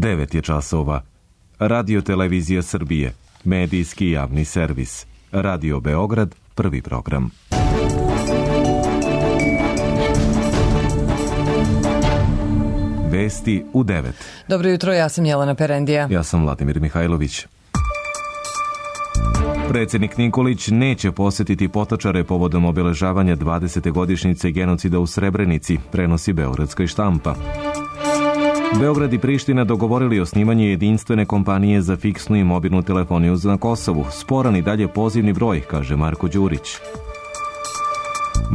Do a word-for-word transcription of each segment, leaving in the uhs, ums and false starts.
devet je časova. Radio Televizija Srbije, medijski javni servis. Radio Beograd, prvi program. Vesti u devet. Dobro jutro, ja sam Jelena Perendija. Ja sam Vladimir Mihajlović. Predsjednik Nikolić neće posjetiti Potočare povodom obeležavanja dvadesete godišnjice genocida u Srebrenici, prenosi beogradska i štampa. Beograd i Priština dogovorili osnivanje jedinstvene kompanije za fiksnu i mobilnu telefoniju na Kosovu. Sporan i dalje pozivni broj, kaže Marko Đurić.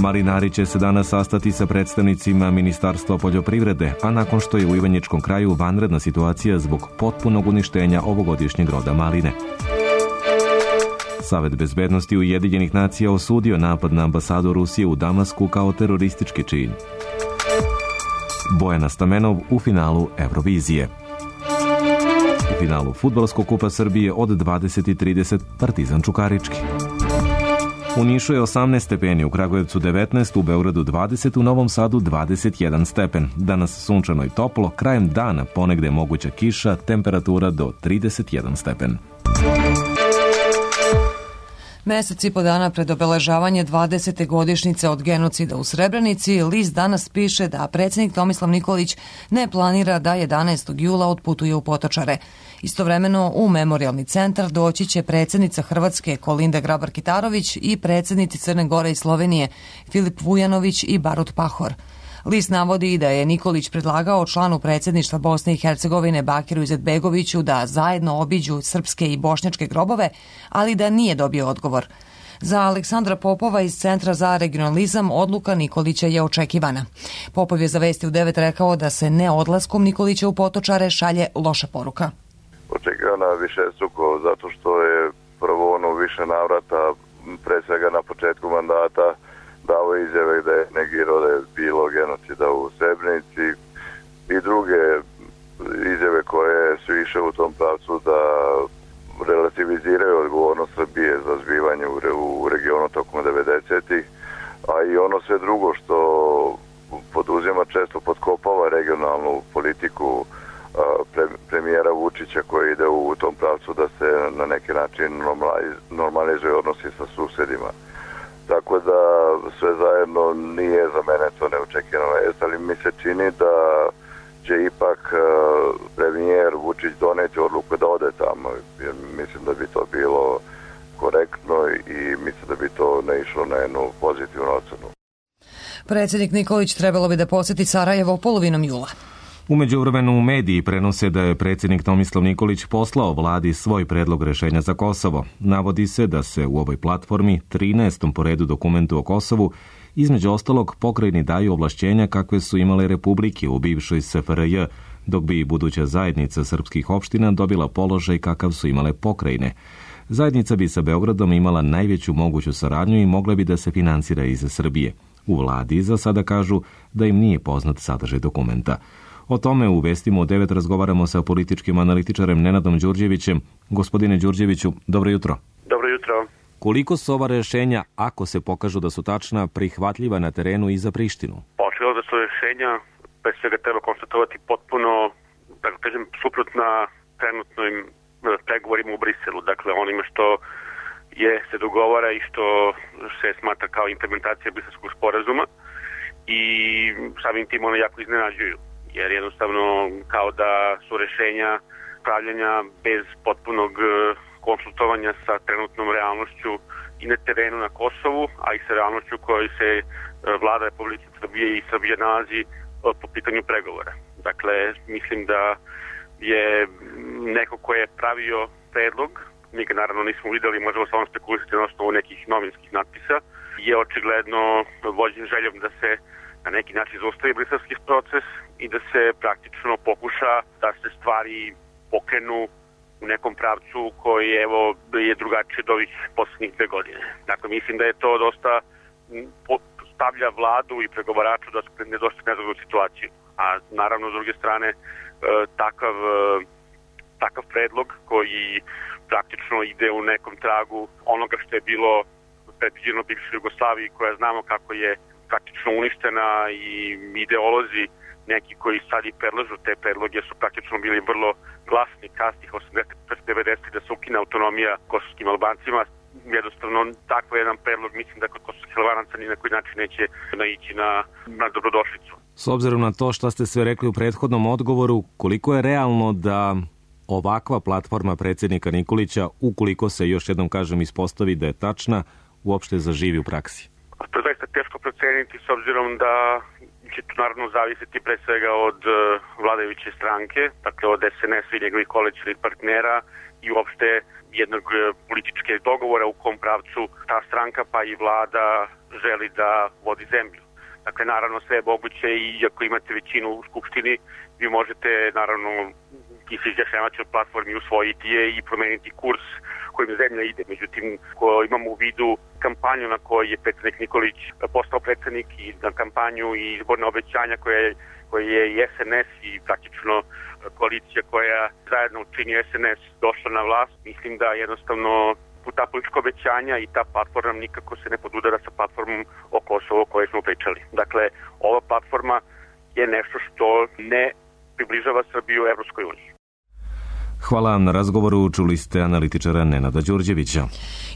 Marinari će se danas sastati sa predstavnicima Ministarstva poljoprivrede, a nakon što je u Ivanjičkom kraju vanredna situacija zbog potpunog uništenja ovogodišnjeg roda maline. Savet bezbednosti Ujedinjenih nacija osudio napad na ambasadu Rusije u Damasku kao teroristički čin. Bojana Stamenov u finalu Eurovizije. U finalu Fudbalskog kupa Srbije od dvadeset i trideset Partizan Čukarički. U Nišu je osamnaest stepeni, u Kragujevcu devetnaest, u Beogradu dvadeset, u Novom Sadu dvadeset jedan stepen. Danas sunčano i toplo, krajem dana ponegde je moguća kiša, temperatura do trideset jedan stepen. Mesec i po dana pred obeležavanje dvadesete godišnjice od genocida u Srebrenici, list danas piše da predsjednik Tomislav Nikolić ne planira da jedanaestog jula otputuje u Potočare. Istovremeno u memorijalni centar doći će predsjednica Hrvatske Kolinda Grabar-Kitarović i predsjednici Crne Gore i Slovenije Filip Vujanović i Barut Pahor. List navodi da je Nikolić predlagao članu predsjedništva Bosne i Hercegovine Bakiru Izetbegoviću da zajedno obiđu srpske i bošnjačke grobove, ali da nije dobio odgovor. Za Aleksandra Popova iz Centra za regionalizam odluka Nikolića je očekivana. Popov je za Vesti u devet rekao da se ne odlaskom Nikolića u Potočare šalje loša poruka. Očekivana višestruko zato što je prvo ono više navrata, pre svega na početku mandata, dao izjave da je negirao da je bilo genocida u Srebrenici i druge izjave koje su išle u tom pravcu da relativiziraju odgovornost Srbije za zbivanje u regionu tokom devedesetih, a i ono sve drugo što poduzima često potkopava regionalnu politiku premijera Vučića koji ide u tom pravcu da se na neki način normalizuje odnosi sa susedima. Tako da sve zajedno nije za mene to neočekivana vest, ali mi se čini da će ipak premijer Vučić doneti odluku da ode tamo. Jer mislim da bi to bilo korektno i mislim da bi to ne išlo na jednu pozitivnu ocenu. Predsjednik Nikolić trebalo bi da posjeti Sarajevo polovinom jula. U međuvremenu u mediji prenose da je predsjednik Tomislav Nikolić poslao vladi svoj predlog rešenja za Kosovo. Navodi se da se u ovoj platformi, trinaestom po redu dokumentu o Kosovu, između ostalog pokrajini daju ovlašćenja kakve su imale republike u bivšoj S F R J, dok bi buduća zajednica srpskih opština dobila položaj kakav su imale pokrajine. Zajednica bi sa Beogradom imala najveću moguću saradnju i mogla bi da se finansira iz Srbije. U vladi za sada kažu da im nije poznat sadržaj dokumenta. O tome u Vestima u devet razgovaramo sa političkim analitičarem Nenadom Đurđevićem. Gospodine Đurđeviću, dobro jutro. Dobro jutro. Koliko su ova rešenja, ako se pokažu da su tačna, prihvatljiva na terenu i za Prištinu? Očigledno da su rešenja, pre svega treba konstatovati potpuno, da kažem, suprotna trenutnim pregovorima u Briselu. Dakle, onime što je se dogovara i što se smatra kao implementacija briselskog sporazuma i samim tim one jako iznenađuju. Jer jednostavno kao da su rešenja pravljenja bez potpunog konsultovanja sa trenutnom realnošću i na terenu na Kosovu, a i sa realnošću kojoj se vlada Republike Srbije i Srbije nalazi po pitanju pregovora. Dakle, mislim da je neko ko je pravio predlog, mi ga naravno nismo videli, možemo samo spekulisati na osnovu nekih novinskih natpisa, je očigledno vođen željom da se na neki način zaustavi briselski proces i da se praktično pokuša da se stvari pokrenu u nekom pravcu koji evo je drugačiji od ovih posljednjih dve godine. Dakle, mislim da je to dosta stavlja vladu i pregovaraču da su ne dosta nezgodnu situaciju. A naravno, s druge strane, takav, takav predlog koji praktično ide u nekom tragu onoga što je bilo predviđeno bivšoj Jugoslaviji, koja znamo kako je praktično uništena i ideolozi neki koji sad i predlažu te predloge su praktično bili vrlo glasni kasnih osamdesetih devedesetih da se ukine autonomija kosovskim Albancima. Jednostavno, takav jedan predlog mislim da kod kosovskih Albanaca ni na koji način neće naići na, na dobrodošlicu. S obzirom na to što ste sve rekli u prethodnom odgovoru, koliko je realno da ovakva platforma predsjednika Nikolića, ukoliko se još jednom kažem ispostavi da je tačna, uopšte zaživi u praksi? To je zaista teško proceniti s obzirom da će to naravno zavisiti pre svega od uh, vladajuće stranke, dakle od es en es-a i njegovih koalicionih partnera i uopšte jednog uh, političke dogovora u kom pravcu ta stranka pa i vlada želi da vodi zemlju. Dakle, naravno sve je moguće i ako imate većinu u Skupštini, vi možete naravno i se izjašnjavati od platformi, usvojiti je i promeniti kurs kojim zemlja ide. Međutim, ko imamo u vidu kampanju na kojoj je predsjednik Nikolić postao predsjednik i na kampanju i izborne obećanja koje, koje je i es en es i praktično koalicija koja zajedno čini es en es došla na vlast, mislim da jednostavno ta politička obećanja i ta platforma nikako se ne podudara sa platformom o Kosovu o kojoj smo pričali. Dakle, ova platforma je nešto što ne približava Srbiju Evropskoj uniji. Hvala na razgovoru, čuli ste analitičara Nenada Đurđevića.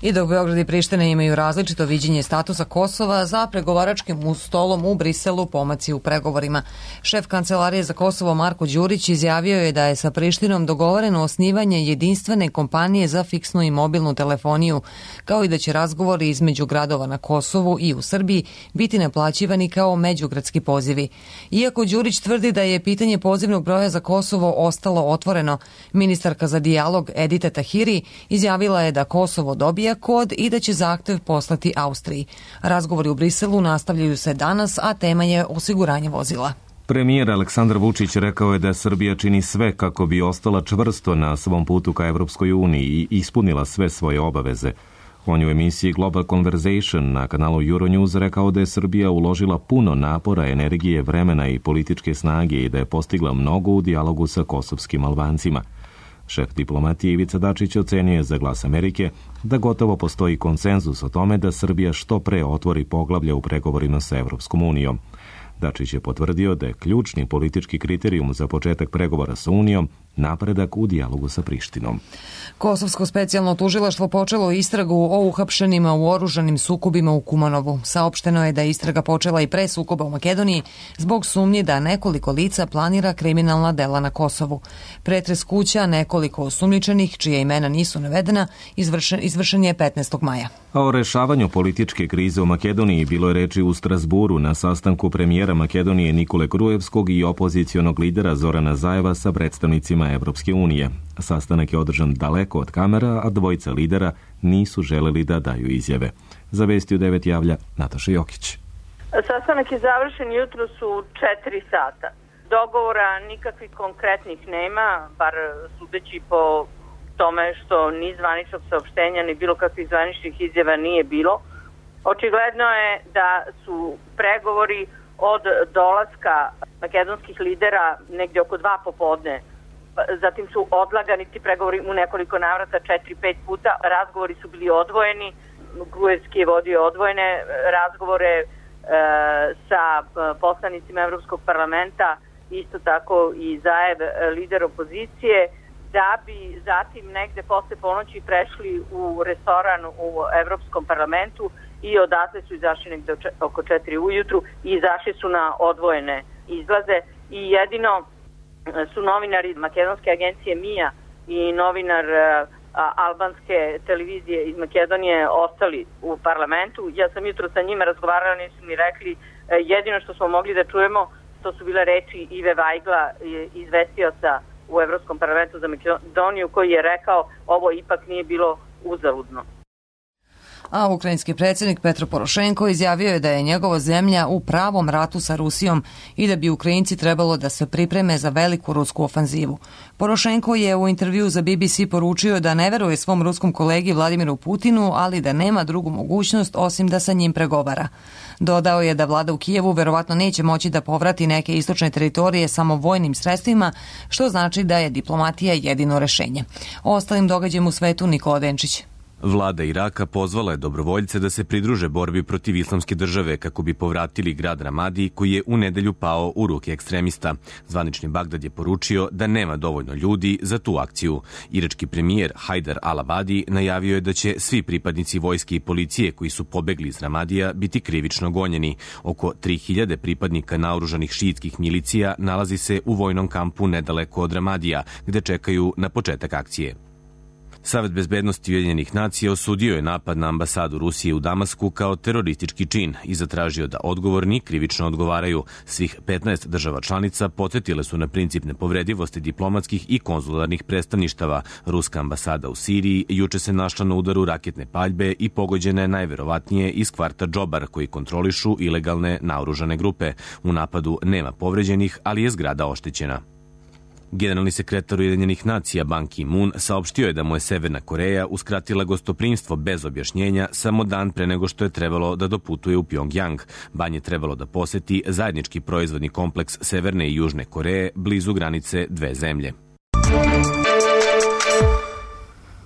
I dok Beograd i Priština imaju različito viđenje statusa Kosova, za pregovaračkim stolom u Briselu pomaci u pregovorima. Šef Kancelarije za Kosovo Marko Đurić izjavio je da je sa Prištinom dogovoreno osnivanje jedinstvene kompanije za fiksnu i mobilnu telefoniju, kao i da će razgovori između gradova na Kosovu i u Srbiji biti naplaćivani kao međugradski pozivi. Iako Đurić tvrdi da je pitanje pozivnog broja za Kosovo ostalo otvoreno, ministarka za dijalog Edita Tahiri izjavila je da Kosovo dobija kod i da će zahtev poslati Austriji. Razgovori u Briselu nastavljaju se danas, a tema je osiguranje vozila. Premijer Aleksandar Vučić rekao je da Srbija čini sve kako bi ostala čvrsto na svom putu ka Evropskoj uniji i ispunila sve svoje obaveze. On je u emisiji Global Conversation na kanalu Euronews rekao da je Srbija uložila puno napora, energije, vremena i političke snage i da je postigla mnogo u dijalogu sa kosovskim Albancima. Šef diplomatije Ivica Dačić ocenio je za Glas Amerike da gotovo postoji konsenzus o tome da Srbija što pre otvori poglavlja u pregovorima sa Evropskom unijom. Dačić je potvrdio da je ključni politički kriterijum za početak pregovora sa Unijom napredak u dijalogu sa Prištinom. Kosovsko specijalno tužilaštvo počelo istragu o uhapšenima u oružanim sukobima u Kumanovu. Saopšteno je da je istraga počela i pre sukoba u Makedoniji zbog sumnji da nekoliko lica planira kriminalna dela na Kosovu. Pretres kuća nekoliko osumnjičenih, čija imena nisu navedena, izvršen, izvršen je petnaestog maja. A o rešavanju političke krize u Makedoniji bilo je reči u Strasburu na sastanku premijera Makedonije Nikole Grujevskog i opozicionog lidera Zorana Zajeva sa predstavnicima Evropske unije. Sastanak je održan daleko od kamera, a dvojica lidera nisu želeli da daju izjave. Za Vesti u devet javlja Nataša Jokić. Sastanak je završen jutro su četiri sata. Dogovora nikakvih konkretnih nema, bar sudeći po tome što ni zvaničnog saopštenja ni bilo kakvih zvaničnih izjava nije bilo. Očigledno je da su pregovori od dolaska makedonskih lidera negdje oko dva popodne. Zatim su odlagani ti pregovori u nekoliko navrata, četiri, pet puta. Razgovori su bili odvojeni. Grujevski je vodio odvojene razgovore e, sa poslanicima Evropskog parlamenta, isto tako i Zaev, lider opozicije, da bi zatim negde posle ponoći prešli u restoran u Evropskom parlamentu i odatle su izašli negde oko četiri ujutru i izašli su na odvojene izlaze i jedino su novinari makedonske agencije Mija i novinar a, albanske televizije iz Makedonije ostali u parlamentu. Ja sam jutro sa njima razgovarala, nisu mi rekli, jedino što smo mogli da čujemo to su bile reči Ive Vajgla, izvestioca u Evropskom parlamentu za Makedoniju, koji je rekao ovo ipak nije bilo uzaludno. A ukrajinski predsjednik Petro Porošenko izjavio je da je njegova zemlja u pravom ratu sa Rusijom i da bi Ukrajinci trebalo da se pripreme za veliku rusku ofanzivu. Porošenko je u intervju za B B C poručio da ne veruje svom ruskom kolegi Vladimiru Putinu, ali da nema drugu mogućnost osim da sa njim pregovara. Dodao je da vlada u Kijevu verovatno neće moći da povrati neke istočne teritorije samo vojnim sredstvima, što znači da je diplomatija jedino rešenje. O ostalim događajima u svetu Nikola Denčić. Vlada Iraka pozvala je dobrovoljce da se pridruže borbi protiv islamske države kako bi povratili grad Ramadi koji je u nedelju pao u ruke ekstremista. Zvanični Bagdad je poručio da nema dovoljno ljudi za tu akciju. Irački premijer Hajdar al-Abadi najavio je da će svi pripadnici vojske i policije koji su pobegli iz Ramadija biti krivično gonjeni. Oko tri hiljade pripadnika naoružanih šiitskih milicija nalazi se u vojnom kampu nedaleko od Ramadija, gde čekaju na početak akcije. Savet bezbednosti Ujedinjenih nacija osudio je napad na ambasadu Rusije u Damasku kao teroristički čin i zatražio da odgovorni krivično odgovaraju. Svih petnaest država članica podsjetile su na princip nepovredivosti diplomatskih i konzularnih predstavništava. Ruska ambasada u Siriji juče se našla na udaru raketne paljbe i pogođena je najverovatnije iz kvarta Džobar koji kontrolišu ilegalne naoružane grupe. U napadu nema povređenih, ali je zgrada oštećena. Generalni sekretar Ujedinjenih nacija Ban Ki-moon saopštio je da mu je Severna Koreja uskratila gostoprimstvo bez objašnjenja samo dan pre nego što je trebalo da doputuje u Pjongjang. Ban je trebalo da poseti zajednički proizvodni kompleks Severne i Južne Koreje blizu granice dve zemlje.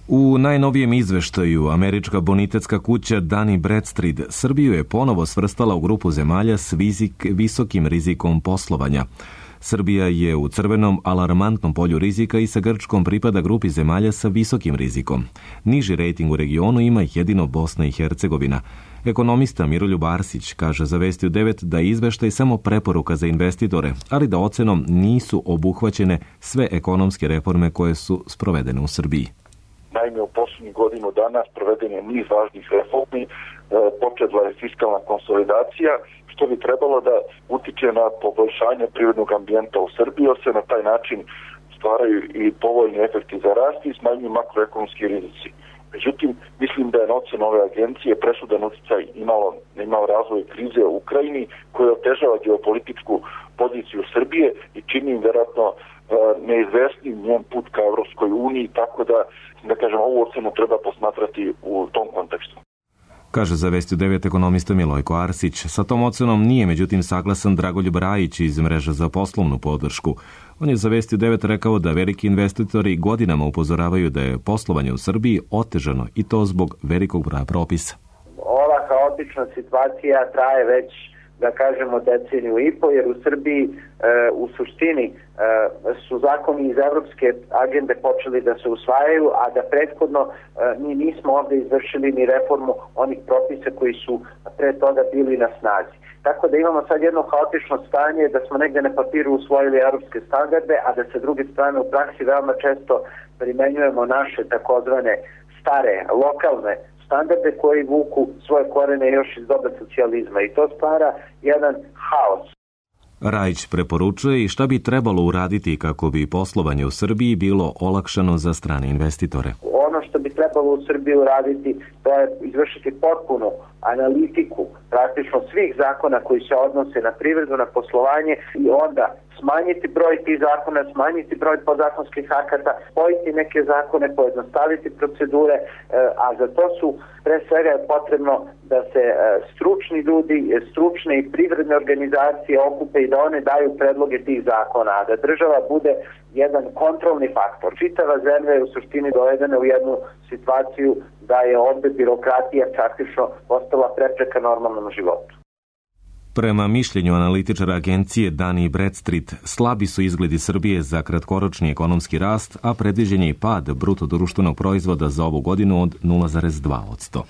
U najnovijem izveštaju američka bonitetska kuća Dun and Bradstreet Srbiju je ponovo svrstala u grupu zemalja s vizik, visokim rizikom poslovanja. Srbija je u crvenom alarmantnom polju rizika i sa Grčkom pripada grupi zemalja sa visokim rizikom. Niži rejting u regionu ima jedino Bosna i Hercegovina. Ekonomista Miroljub Arsić kaže za Vesti u devet da je izveštaj samo preporuka za investitore, ali da ocenom nisu obuhvaćene sve ekonomske reforme koje su sprovedene u Srbiji. Naime, u posljednjih godinu dana sproveden je niz važnih reformi, počela je fiskalna konsolidacija, što bi trebalo da utiče na poboljšanje privrednog ambijenta u Srbiji, jer se na taj način stvaraju i povoljni efekti za rast i smanjuju makroekonomski rizici. Međutim, mislim da je na ocenu ove agencije presudan uticaj imalo, imao razvoj krize u Ukrajini koja otežava geopolitičku poziciju Srbije i čini im vjerojatno neizvesnim njen put ka Evropskoj uniji, tako da, da kažem, ovu ocenu treba posmatrati u tom kontekstu. Kaže za Vesti u devet ekonomista Milojko Arsić. Sa tom ocenom nije međutim saglasan Dragoljub Rajić iz Mreže za poslovnu podršku. On je za Vesti u devet rekao da veliki investitori godinama upozoravaju da je poslovanje u Srbiji otežano i to zbog velikog broja propisa. Ova haotična situacija traje već, da kažemo, deceniju i po, jer u Srbiji e, u suštini e, su zakoni iz evropske agende počeli da se usvajaju, a da prethodno e, mi nismo ovde izvršili ni reformu onih propisa koji su pre toga bili na snazi. Tako da imamo sad jedno haotično stanje da smo negde na papiru usvojili evropske standarde, a da sa druge strane u praksi veoma često primenjujemo naše takozvane stare, lokalne standarde koji vuku svoje korene još iz doba socijalizma i to stvara jedan haos. Rajić preporučuje i šta bi trebalo uraditi kako bi poslovanje u Srbiji bilo olakšano za strane investitore. Ono što bi trebalo u Srbiji uraditi to je izvršiti potpunu analitiku praktično svih zakona koji se odnose na privredu, na poslovanje i onda smanjiti broj tih zakona, smanjiti broj podzakonskih akata, spojiti neke zakone, pojednostaviti procedure, a za to su pre svega je potrebno da se stručni ljudi, stručne i privredne organizacije okupe i da one daju predloge tih zakona, a da država bude jedan kontrolni faktor. Čitava zemlja je u suštini dovedena u jednu situaciju da je ovde birokratija praktično postala prepreka normalnom životu. Prema mišljenju analitičara agencije Dun and Bradstreet, slabi su izgledi Srbije za kratkoročni ekonomski rast, a predviđen je i pad bruto društvenog proizvoda za ovu godinu od nula zarez dva posto.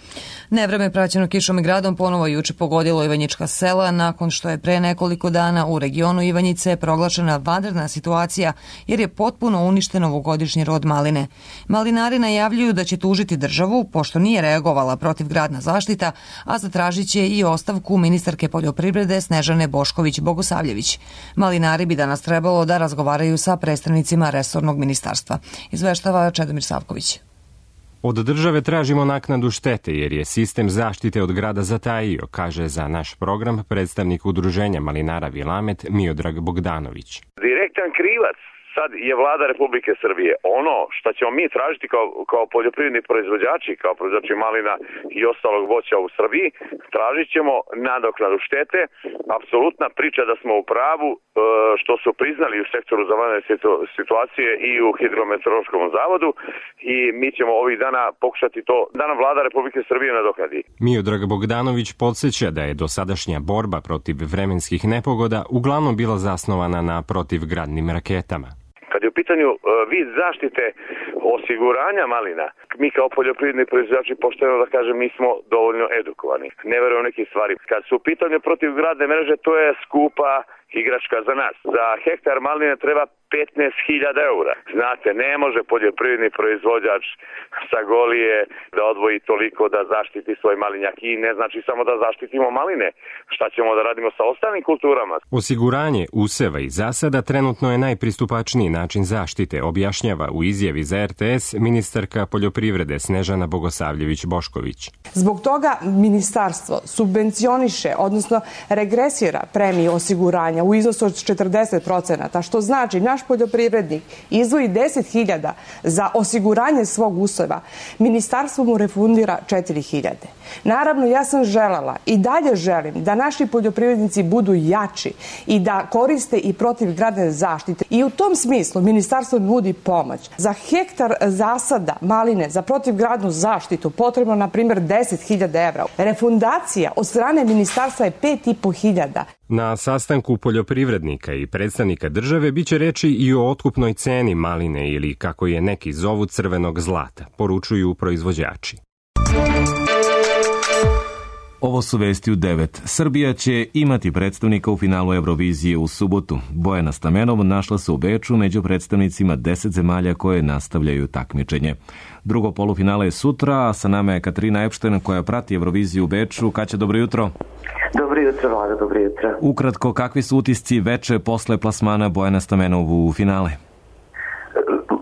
Nevreme praćeno kišom i gradom ponovo juče pogodilo Ivanjička sela nakon što je pre nekoliko dana u regionu Ivanjice proglašena vanredna situacija jer je potpuno uništen ovogodišnji rod maline. Malinari najavljuju da će tužiti državu pošto nije reagovala protivgradna zaštita, a zatražit će i ostavku ministarke poljoprivrede Snežane Bošković-Bogosavljević. Malinari bi danas trebalo da razgovaraju sa predstavnicima resornog ministarstva. Izveštava Čedomir Savković. Od države tražimo naknadu štete jer je sistem zaštite od grada zatajio, kaže za naš program predstavnik udruženja malinara Vilamet Miodrag Bogdanović. Direktan krivac sad je vlada Republike Srbije. Ono što ćemo mi tražiti kao, kao poljoprivredni proizvođači, kao proizvođači malina i ostalog voća u Srbiji, tražit ćemo nadoknadu štete. Apsolutna priča da smo u pravu što su priznali u sektoru za vanredne situacije i u Hidrometeorološkom zavodu i mi ćemo ovih dana pokušati to da nam vlada Republike Srbije nadoknadi. Miodrag Bogdanović podsjeća da je dosadašnja borba protiv vremenskih nepogoda uglavnom bila zasnovana na protivgradnim raketama. Kad je u pitanju uh, vid zaštite osiguranja malina, mi kao poljoprivredni proizvođači, pošteno da kažem, nismo dovoljno edukovani. Ne verujem neke stvari. Kad su u pitanju protivgradne mreže, to je skupa igračka za nas. Za hektar maline treba petnaest hiljada eura. Znate, ne može poljoprivredni proizvođač sa Golije da odvoji toliko da zaštiti svoj malinjak i ne znači samo da zaštitimo maline. Šta ćemo da radimo sa ostalim kulturama? Osiguranje useva i zasada trenutno je najpristupačniji način zaštite, objašnjava u izjavi za er te es ministarka poljoprivrede Snežana Bogosavljević-Bošković. Zbog toga ministarstvo subvencioniše, odnosno regresira premiju osiguranja u iznosu od četrdeset procenata, što znači naš poljoprivrednik izdvoji deset hiljada za osiguranje svog useva, ministarstvo mu refundira četiri hiljade. Naravno, ja sam želela i dalje želim da naši poljoprivrednici budu jači i da koriste i protivgradne zaštite. I u tom smislu ministarstvo nudi pomoć. Za hektar zasada maline za protivgradnu zaštitu potrebno, na primjer, deset hiljada evra. Refundacija od strane ministarstva je pet i po hiljada. Na sastanku poljoprivrednika i predstavnika države biće reči i o otkupnoj ceni maline ili, kako je neki zovu, crvenog zlata, poručuju proizvođači. Ovo su vesti u devet. Srbija će imati predstavnika u finalu Eurovizije u subotu. Bojana Stamenov našla se u Beču među predstavnicima deset zemalja koje nastavljaju takmičenje. Drugo polufinale je sutra, a sa nama je Katarina Epšten koja prati Euroviziju u Beču. Kaća, dobro jutro. Dobro jutro, Vlada, dobro jutro. Ukratko, kakvi su utisci veče posle plasmana Bojana Stamenov u finale?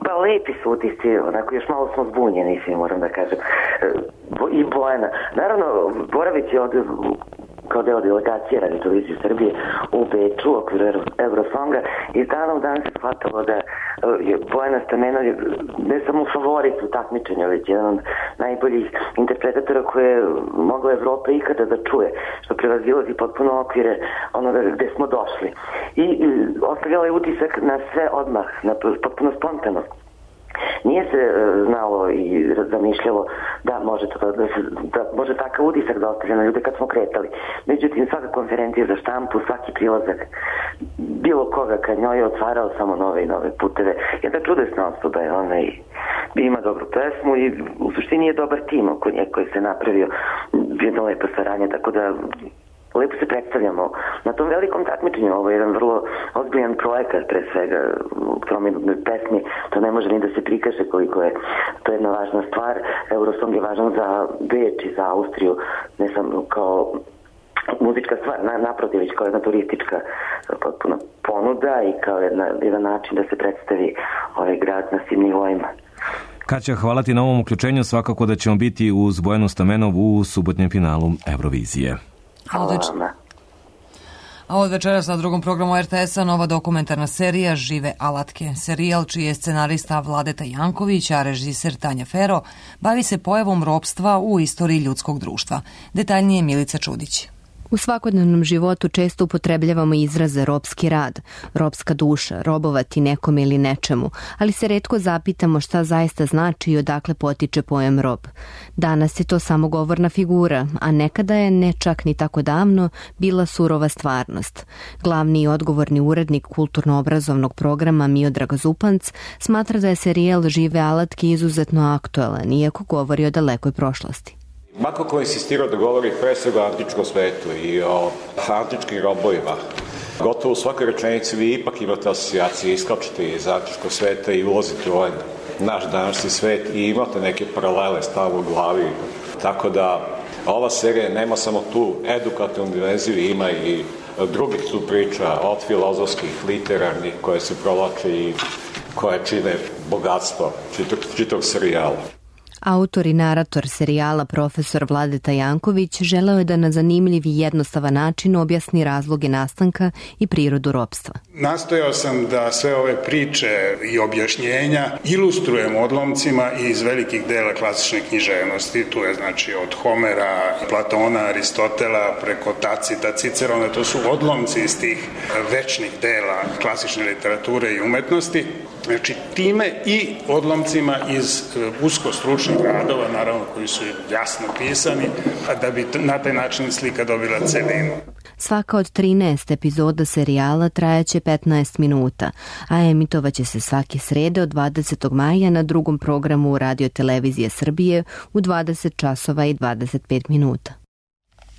Pa lepi su utisci, onako još malo smo zbunjeni, svi moram da kažem. I Bojana. Naravno, boravit će od, kao deo delegacije Radio televizije Srbije u Beču u okviru Eurosonga i iz dana u dan se shvatalo da je Bojana Stamenov ne samo favorit u takmičenju, već jedan od najboljih interpretatora koje je mogla Evropa ikada da čuje, što prevazilazi potpuno okvire onoga gde smo došli. I ostavljala je utisak na sve odmah, na potpuno spontano. Nije se znalo i zamišljalo da može, to, da, se, da može takav utisak da ostavlja na ljude kad smo kretali. Međutim, svaka konferencija za štampu, svaki prilazak bilo koga ka njoj je otvarao samo nove i nove puteve. Jedna čudesna osoba je ona i ima dobru pesmu i u suštini je dobar tim oko nje koji se napravio, jedno lepo saranje, tako da lepo se predstavljamo na tom velikom takmičenju. Ovo je jedan vrlo ozbiljan projekat, pre svega u trominutnoj pesmi. To ne može ni da se prikaže koliko je to jedna važna stvar. Eurosong je važan za Beč i za Austriju, ne samo kao muzička stvar, naprotiv, već kao jedna turistička potpuno ponuda i kao jedna, jedan način da se predstavi ovaj grad na svim nivoima. Kaća, hvala ti na ovom uključenju. Svakako da ćemo biti uz Bojanu Stamenov u subotnjem finalu Eurovizije. A od, več... A od večeras na drugom programu er te es-a nova dokumentarna serija Žive alatke. Serijal čiji je scenarista Vladeta Janković, a režiser Tanja Fero, bavi se pojavom ropstva u istoriji ljudskog društva. Detaljnije Milica Čudić. U svakodnevnom životu često upotrebljavamo izraze ropski rad, ropska duša, robovati nekome ili nečemu, ali se retko zapitamo šta zaista znači i odakle potiče pojam rob. Danas je to samo govorna figura, a nekada je, ne čak ni tako davno, bila surova stvarnost. Glavni i odgovorni urednik kulturno-obrazovnog programa Miodrag Zupanc smatra da je serijal Žive alatke izuzetno aktuelan, iako govori o dalekoj prošlosti. Mako ko je insistirao da govori pre svega o antičkom svetu i o antičkim robovima, gotovo u svakoj rečenici vi ipak imate asocijacije, iskačete iz antičkog sveta i ulazite u ovaj naš današnji svet i imate neke paralele stavno u glavi. Tako da ova serija nema samo tu edukativnu dimenziju, ima i drugih tu priča od filozofskih, literarnih koje se provlače i koje čine bogatstvo čitog, čitog serijala. Autor i narator serijala profesor Vladeta Janković želeo je da na zanimljiv i jednostavan način objasni razloge nastanka i prirodu ropstva. Nastojao sam da sve ove priče i objašnjenja ilustrujem odlomcima iz velikih dela klasične književnosti. Tu je znači od Homera, Platona, Aristotela, preko Tacita, Cicerona, to su odlomci iz tih večnih dela klasične literature i umetnosti. Znači, time i odlomcima iz usko stručnih radova, naravno koji su jasno pisani, da bi na taj način slika dobila celinu. Svaka od trinaest epizoda serijala trajaće petnaest minuta, a emitovaće se svake srede od dvadesetog maja na drugom programu Radio Televizije Srbije u dvadeset časova i dvadeset pet minuta.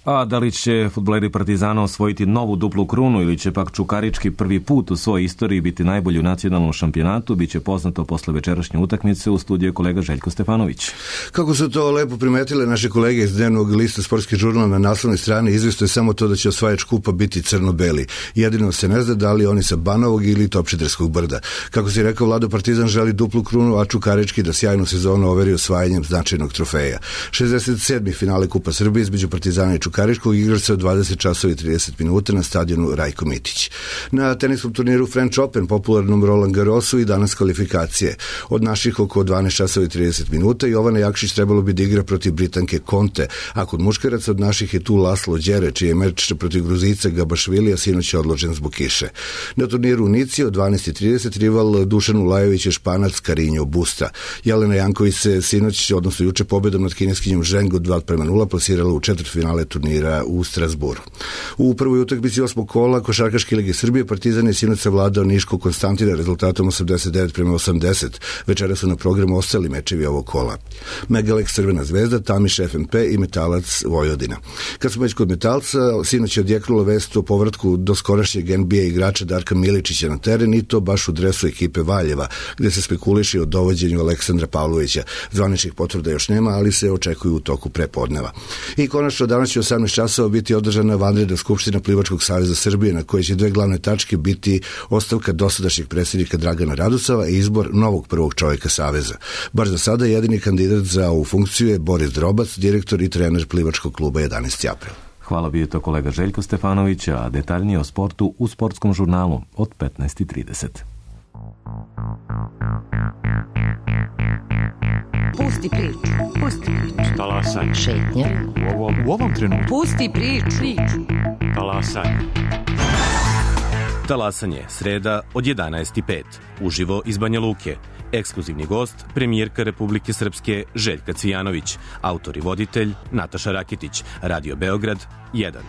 A da li će fudbaleri Partizana osvojiti novu duplu krunu ili će pak Čukarički prvi put u svojoj istoriji biti najbolji u nacionalnom šampionatu, bit će poznato posle večerašnje utakmice. U studiju kolega Željko Stefanović. Kako su to lepo primetile naše kolege iz dnevnog lista Sportski žurnal, na naslovnoj strani izvestuje je samo to da će osvajač kupa biti crno-beli. Jedino se ne zna da li oni sa Banovog ili Topčiderskog brda. Kako si rekao, Vlado, Partizan želi duplu krunu, a Čukarički da sjajnu sezonu overi osvajanjem značajnog trofeja. šezdeset sedmi finale Kupa Srbije između Partizana i Čukaričkog igra se od dvadeset časova i trideset minuta na stadionu Rajko Mitić. Na teniskom turniru French Open, popularnom Roland Garrosu, i danas kvalifikacije. Od naših oko dvanaest časova i trideset minuta Jovana Jakšić trebalo bi da igra protiv Britanke Conte, a kod muškaraca od naših je tu Laslo Đere, čiji je meč protiv Gruzica Gabašvilija sinoć je odložen zbog kiše. Na turniru u Nici od dvanaest i trideset rival Dušan Ulajović je Španac Karinjo Busta. Jelena Janković se sinoć, odnosno juče, pobedom nad kineskinjom Zhengu dva prema nula plasirala u četvrtfinale turnira u Strasburu. U prvoj utakmici osmog kola Košarkaške lige Srbije Partizan je sinoć savladao Niškog Konstantina rezultatom osamdeset devet prema osamdeset. Večera su na programu ostali mečevi ovog kola. Megalex Crvena zvezda, Tamiš F M P i Metalac Vojvodina. Kad smo već kod Metalca, sinoć je odjeknula vest o povratku do skorašnjeg N B A igrača Darka Miličića na teren, i to baš u dresu ekipe Valjeva, gde se spekuliše o dovođenju Aleksandra Pavlovića. Zvaničnih potvrda još nema, ali se očekuju u toku prepodneva. I konačno danas će osamnaest časova biti održana vanredna skupština Plivačkog saveza Srbije, na kojoj će dve glavne tačke biti ostavka dosadašnjeg predsjednika Dragana Radusava i izbor novog prvog čovjeka saveza. Baš za sada jedini kandidat za ovu funkciju je Boris Drobac, direktor i trener Plivačkog kluba jedanaesti april. Hvala, bio je to kolega Željko Stefanović, a detaljnije o sportu u Sportskom žurnalu od petnaest i trideset. Pusti priču, pusti priču. Talasaj. Šetnja. U ovom, u ovom trenutku. Pusti priču. priču. Talasaj. Talasanje, sreda od jedanaest i pet. Uživo iz Banja Luke. Ekskluzivni gost, premijerka Republike Srpske Željka Cvijanović. Autor i voditelj Nataša Rakitić. Radio Beograd jedan.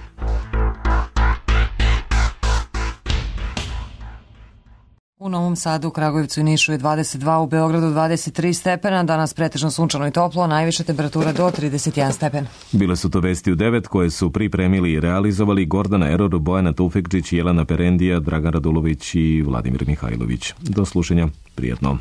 U Novom Sadu, Kragujevcu i Nišu je dvadeset dva, u Beogradu dvadeset tri stepena, danas pretežno sunčano i toplo, najviša temperatura do trideset jedan stepen. Bile su to vesti u devet koje su pripremili i realizovali Gordana Eror, Bojana Tufekčić, Jelena Perendija, Dragan Radulović i Vladimir Mihajlović. Do slušanja, prijetno.